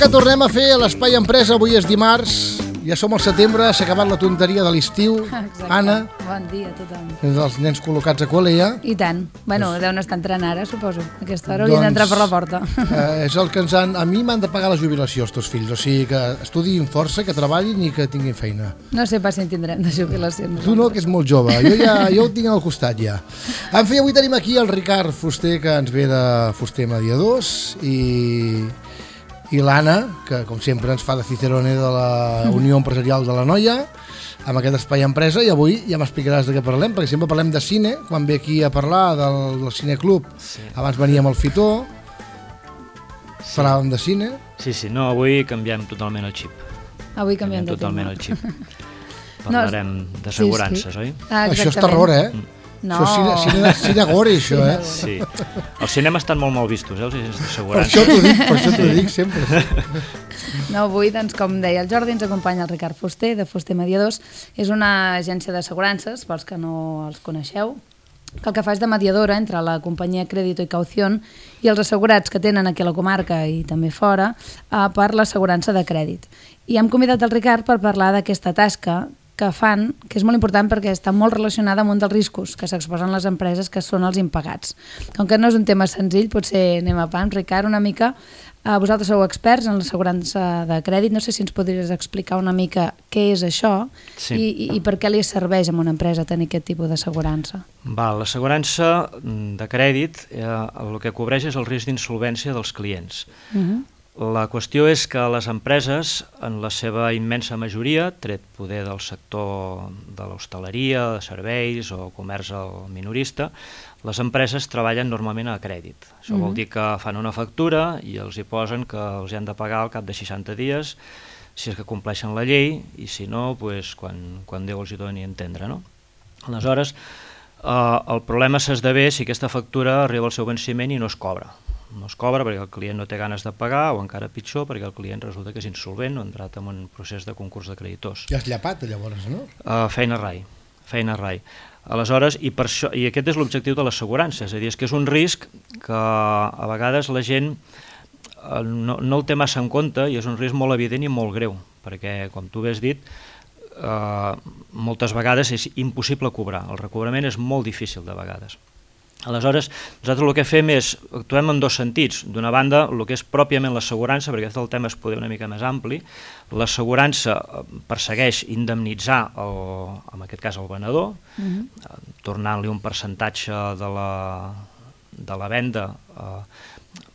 que tornem a fer a l'Espai Empresa. Avui és dimarts, ja som al setembre, s'ha acabat la tonteria de l'estiu. Anna. Bon dia a tothom. Els nens col·locats a col·le ja. I tant. Bueno, deuen estar entrant ara, suposo. A aquesta hora haurien d'entrar per la porta. És el que ens han... A mi m'han de pagar la jubilació, els teus fills. O sigui que estudiïn força, que treballin i que tinguin feina. No sé pas si en tindrem de jubilació. Tu no, que és molt jove. Jo ho tinc al costat ja. En fi, avui tenim aquí el Ricard Fuster, que ens ve de Fuster Mediadors, i l'Anna, que com sempre ens fa de Cicerone de la Unió Empresarial de la Noia, amb aquest Espai Empresa, i avui ja m'explicaràs de què parlem, perquè sempre parlem de cine, quan ve aquí a parlar del Cineclub, abans veníem al Fitó, parlàvem de cine. Sí, no, avui canviem totalment el xip. Avui canviem totalment el xip. Parlarem d'assegurances, oi? Això és terror, No. Això és cine gore, això, Sí. Els cinemes estan molt mal vistos, els d'assegurances. Per això t'ho dic sempre. No, avui, doncs, com deia el Jordi, ens acompanya el Ricard Fuster, de Fuster Mediadors. És una agència d'assegurances, pels que no els coneixeu, que el que fa és de mediadora entre la companyia Crédito i Caución i els assegurats que tenen aquí a la comarca i també fora per l'assegurança de crèdit. I hem convidat el Ricard per parlar d'aquesta tasca que fan, que és molt important perquè està molt relacionada amb un dels riscos que s'exposen les empreses, que són els impagats. Com que no és un tema senzill, potser anem a pams. Ricard, una mica, vosaltres sou experts en l'assegurança de crèdit, no sé si ens podries explicar una mica què és això i per què li serveix a una empresa tenir aquest tipus d'assegurança. L'assegurança de crèdit el que cobreix és el risc d'insolvència dels clients. La qüestió és que les empreses, en la seva immensa majoria, tret poder del sector de l'hostaleria, de serveis o comerç al minorista, les empreses treballen normalment a crèdit. Això vol dir que fan una factura i els hi posen que els han de pagar al cap de 60 dies, si és que compleixen la llei, i si no, doncs, quan Déu els hi doni a entendre. No? Aleshores, el problema s'esdevé si aquesta factura arriba al seu venciment i no es cobra. No es cobra perquè el client no té ganes de pagar, o encara pitjor perquè el client resulta que és insolvent o ha entrat en un procés de concurs de creditors. Ja has llapat llavors, no? Feina rai. Aleshores, i aquest és l'objectiu de l'assegurança, és a dir, és que és un risc que a vegades la gent no el té massa en compte i és un risc molt evident i molt greu, perquè, com tu bé has dit, moltes vegades és impossible cobrar, el recobrament és molt difícil de vegades. Aleshores, nosaltres el que fem és, actuem en dos sentits. D'una banda, el que és pròpiament l'assegurança, perquè el tema és poder una mica més ampli. L'assegurança persegueix indemnitzar, en aquest cas, el venedor, tornant-li un percentatge de la venda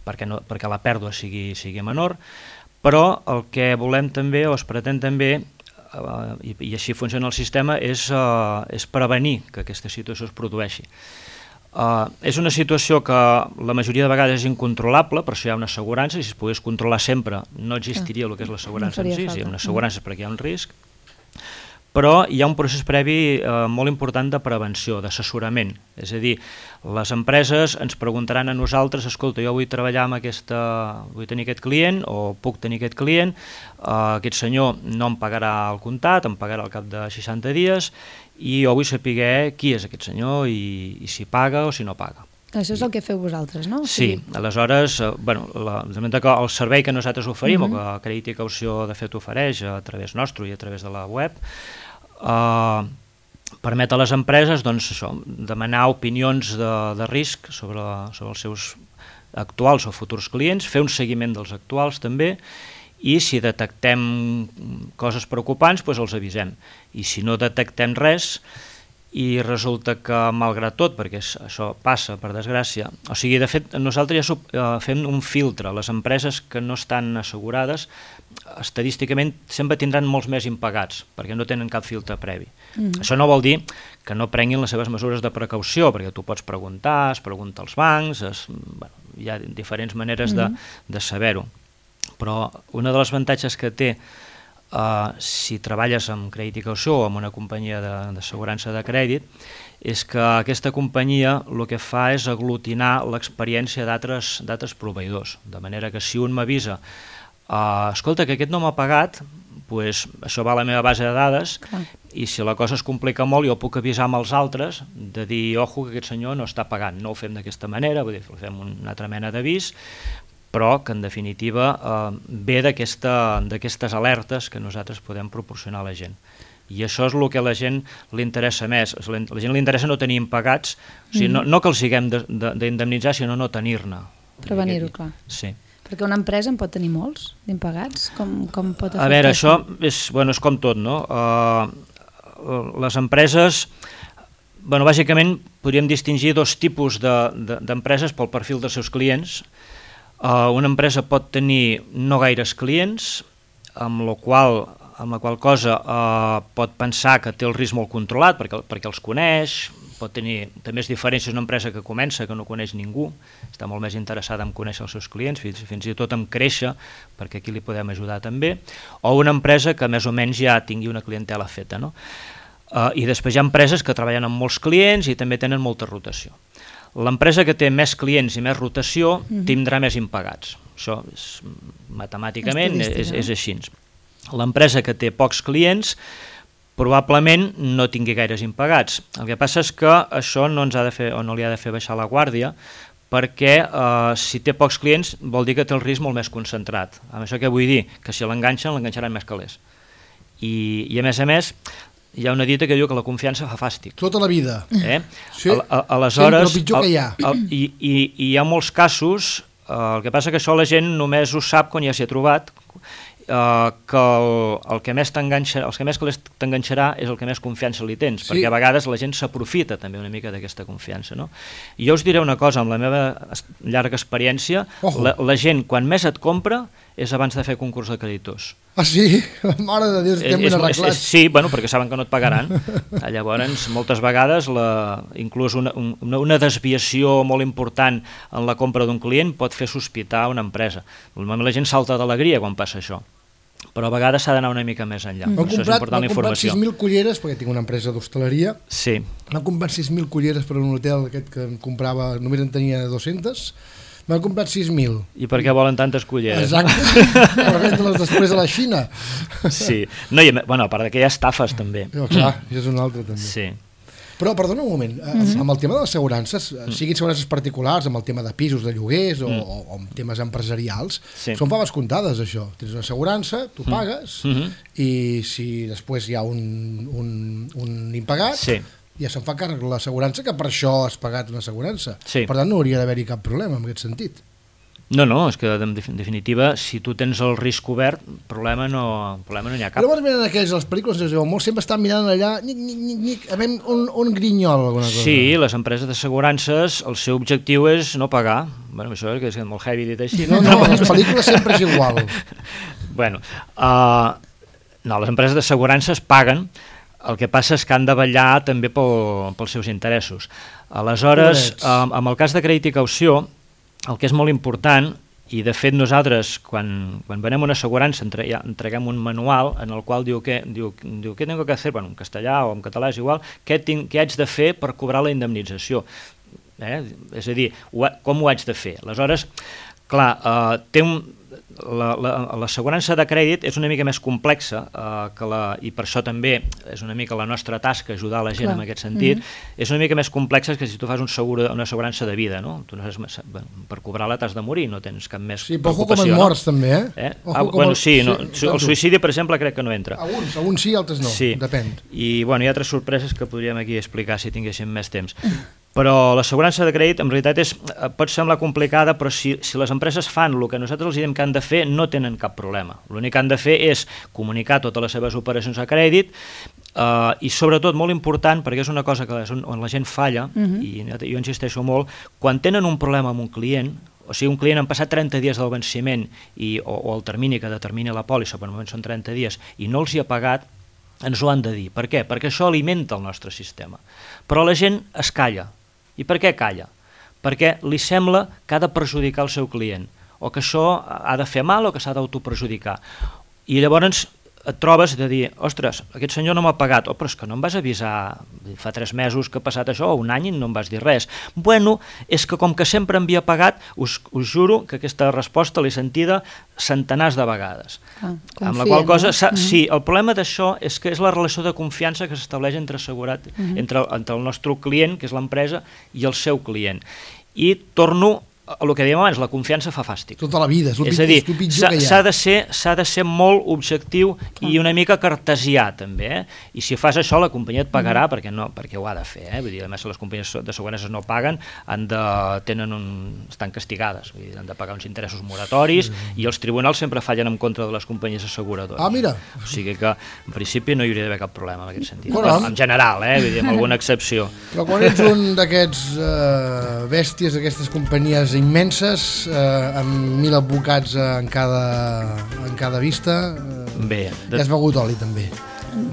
perquè la pèrdua sigui menor, però el que volem també, o es pretén també, i així funciona el sistema, és prevenir que aquesta situació es produeixi. És una situació que la majoria de vegades és incontrolable, per això hi ha una assegurança, i si es pogués controlar sempre no existiria el que és l'assegurança en si, hi ha una assegurança perquè hi ha un risc, però hi ha un procés previ molt important de prevenció, d'assessorament, és a dir, les empreses ens preguntaran a nosaltres, escolta, jo vull treballar amb vull tenir aquest client o puc tenir aquest client, aquest senyor no em pagarà al comptat, em pagarà al cap de 60 dies, i jo vull saber qui és aquest senyor i si paga o si no paga. Això és el que feu vosaltres, no? Sí, aleshores, el servei que nosaltres oferim, o que Crèdit i Caució de fet ofereix a través nostre i a través de la web, permet a les empreses demanar opinions de risc sobre els seus actuals o futurs clients, fer un seguiment dels actuals també, i si detectem coses preocupants, doncs els avisem. I si no detectem res, i resulta que, malgrat tot, perquè això passa, per desgràcia, o sigui, de fet, nosaltres ja fem un filtre. Les empreses que no estan assegurades, estadísticament, sempre tindran molts més impagats, perquè no tenen cap filtre previ. Això no vol dir que no prenguin les seves mesures de precaució, perquè tu pots preguntar, es pregunta als bancs, hi ha diferents maneres de saber-ho. Però un dels avantatges que té si treballes amb Crèdit i Caució o amb una companyia d'assegurança de crèdit és que aquesta companyia el que fa és aglutinar l'experiència d'altres proveïdors, de manera que si un m'avisa escolta, que aquest no m'ha pagat, doncs això va a la meva base de dades i si la cosa es complica molt jo puc avisar amb els altres de dir, ojo, que aquest senyor no està pagant, no ho fem d'aquesta manera, vull dir, fem una altra mena d'avís, però que en definitiva ve d'aquestes alertes que nosaltres podem proporcionar a la gent. I això és el que a la gent li interessa més. A la gent li interessa no tenir impagats, o sigui, no que els haguem d'indemnitzar, sinó no tenir-ne. Prevenir-ho, clar. Sí. Perquè una empresa en pot tenir molts d'impagats? Com pot afectar? A veure, això és com tot, no? Les empreses, bàsicament podríem distingir dos tipus d'empreses pel perfil dels seus clients. Una empresa pot tenir no gaires clients, amb la qual cosa pot pensar que té el risc molt controlat perquè els coneix, pot tenir també diferències una empresa que comença que no coneix ningú, està molt més interessada en conèixer els seus clients, fins i tot en créixer, perquè aquí li podem ajudar també, o una empresa que més o menys ja tingui una clientela feta, no? I després hi ha empreses que treballen amb molts clients i també tenen molta rotació. L'empresa que té més clients i més rotació tindrà més impagats. Això matemàticament és així. L'empresa que té pocs clients probablement no tingui gaires impagats. El que passa és que això no ens ha de fer o no li ha de fer baixar la guàrdia, perquè si té pocs clients vol dir que té el risc molt més concentrat. Amb això què vull dir? Que si l'enganxaran més calés. I a més, hi ha una dita que diu que la confiança fa fàstic. Tota la vida. Sí, aleshores, sempre pitjor que hi ha. I hi ha molts casos, el que passa que això la gent només ho sap quan ja s'hi ha trobat, que el que més t'enganxarà és el que més confiança li tens, perquè a vegades la gent s'aprofita també una mica d'aquesta confiança, no? I jo us diré una cosa, amb la meva llarga experiència, la gent quan més et compra és abans de fer concurs de creditors. Ah, sí? Mare de Déu, estem ben arreglats. Sí, perquè saben que no et pagaran. Llavors, moltes vegades, inclús una desviació molt important en la compra d'un client pot fer sospitar una empresa. Normalment la gent salta d'alegria quan passa això, però a vegades s'ha d'anar una mica més enllà. Això és important, la informació. M'han comprat 6.000 culleres, perquè tinc una empresa d'hostaleria. Sí. M'han comprat 6.000 culleres per un hotel aquest que em comprava, només en tenia 200. M'han comprat 6.000. I per què volen tantes culleres? Exacte, per vendre-les després a la Xina. Sí, a part que hi ha estafes també. Clar, això és un altre també. Sí. Però, perdona un moment, amb el tema de les assegurances, siguin assegurances particulars, amb el tema de pisos, de lloguers o amb temes empresarials, són faves comptades, això. Tens una assegurança, tu pagues, i si després hi ha un impagat, ja se'n fa càrrec l'assegurança, que per això has pagat una assegurança. Per tant, no hauria d'haver-hi cap problema en aquest sentit. No, és que en definitiva, si tu tens el risc obert, problema no n'hi ha cap. Però llavors miren aquells, les pel·lícules, molt sempre estan mirant allà, a veure, un grinyol, alguna cosa. Sí, les empreses d'assegurances, el seu objectiu és no pagar. Bueno, això és molt heavy dit així. No, les pel·lícules sempre és igual. Bueno, no, les empreses d'assegurances paguen. El que passa és que han de vetllar també pels seus interessos. Aleshores, amb el cas de crèdit i caució, el que és molt important, i de fet nosaltres quan venem una assegurança entreguem un manual en el qual diu què tengo que hacer, en castellà o en català és igual, què haig de fer per cobrar la indemnització. És a dir, com ho haig de fer? Aleshores, clar, l'assegurança de crèdit és una mica més complexa i per això també és una mica la nostra tasca ajudar la gent en aquest sentit. És una mica més complexa que si tu fas una assegurança de vida, no? Per cobrar-la t'has de morir, no tens cap més preocupació. Sí, però com en morts també, Sí, el suïcidi per exemple crec que no entra. Alguns sí, altres no, depèn. I hi ha altres sorpreses que podríem aquí explicar si tinguéssim més temps. Però l'assegurança de crèdit en realitat pot semblar complicada, però si les empreses fan el que nosaltres els diem que han de fer, no tenen cap problema. L'únic que han de fer és comunicar totes les seves operacions a crèdit i sobretot, molt important, perquè és una cosa on la gent falla, i jo insisteixo molt, quan tenen un problema amb un client, o sigui, un client han passat 30 dies del venciment o el termini que determina la pòlissa, per moment són 30 dies, i no els hi ha pagat, ens ho han de dir. Per què? Perquè això alimenta el nostre sistema. Però la gent es calla. I per què calla? Perquè li sembla que ha de perjudicar el seu client, o que això ha de fer mal o que s'ha d'autoperjudicar. I llavors et trobes de dir, ostres, aquest senyor no m'ha pagat, però és que no em vas avisar fa 3 mesos que ha passat això, o un any i no em vas dir res. Bueno, és que com que sempre em havia pagat, us juro que aquesta resposta l'he sentida centenars de vegades. Amb la qual cosa, sí, el problema d'això és que és la relació de confiança que s'estableix entre el nostre client, que és l'empresa, i el seu client. I torno el que dèiem abans, la confiança fa fàstic. Tota la vida, és a dir, el pitjor que hi ha. s'ha de ser molt objectiu i una mica cartesià també, i si fas això la companyia et pagarà perquè ho ha de fer, vull dir, a més les companyies d'assegurances no paguen, estan castigades, vull dir, han de pagar uns interessos moratoris i els tribunals sempre fallen en contra de les companyies asseguradores. Ah, mira. O sigui que en principi no hi hauria d'haver cap problema en aquest sentit. Caram. En general, vull dir, amb alguna excepció. Però quan ets un d'aquests bèsties, d'aquestes companyies immenses, amb 1.000 advocats en cada vista, Bé, ja has begut oli també.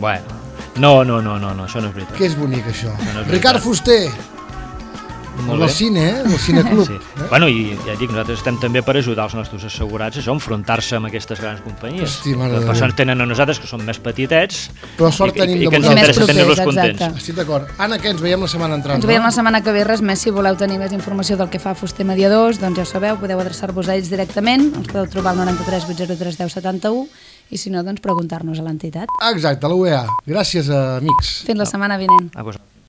Bueno, no, això no és veritat. Que és bonic això. No és Ricard Fuster, Molt del bé. cine, del cineclub. Sí. Bueno, i ja dic, nosaltres estem també per ajudar els nostres assegurats a enfrontar-se amb aquestes grans companyies. Hosti, mare de Per Déu. això ens tenen a nosaltres, que som més petitets, Però sort tenim i de que ens vosaltres. interessa Més tenir-los propers, contents. exacte. Estic d'acord. Anna, què? Ens veiem la setmana entrant, Ens veiem la setmana que ve, res més, si voleu tenir més informació del que fa Fuster Mediadors, doncs ja ho sabeu, podeu adreçar-vos a ells directament, els podeu trobar al 93 803 1071 i si no, doncs preguntar-nos a l'entitat. Exacte, la UEA. Gràcies, amics. Fins la setmana vinent. A vosaltres.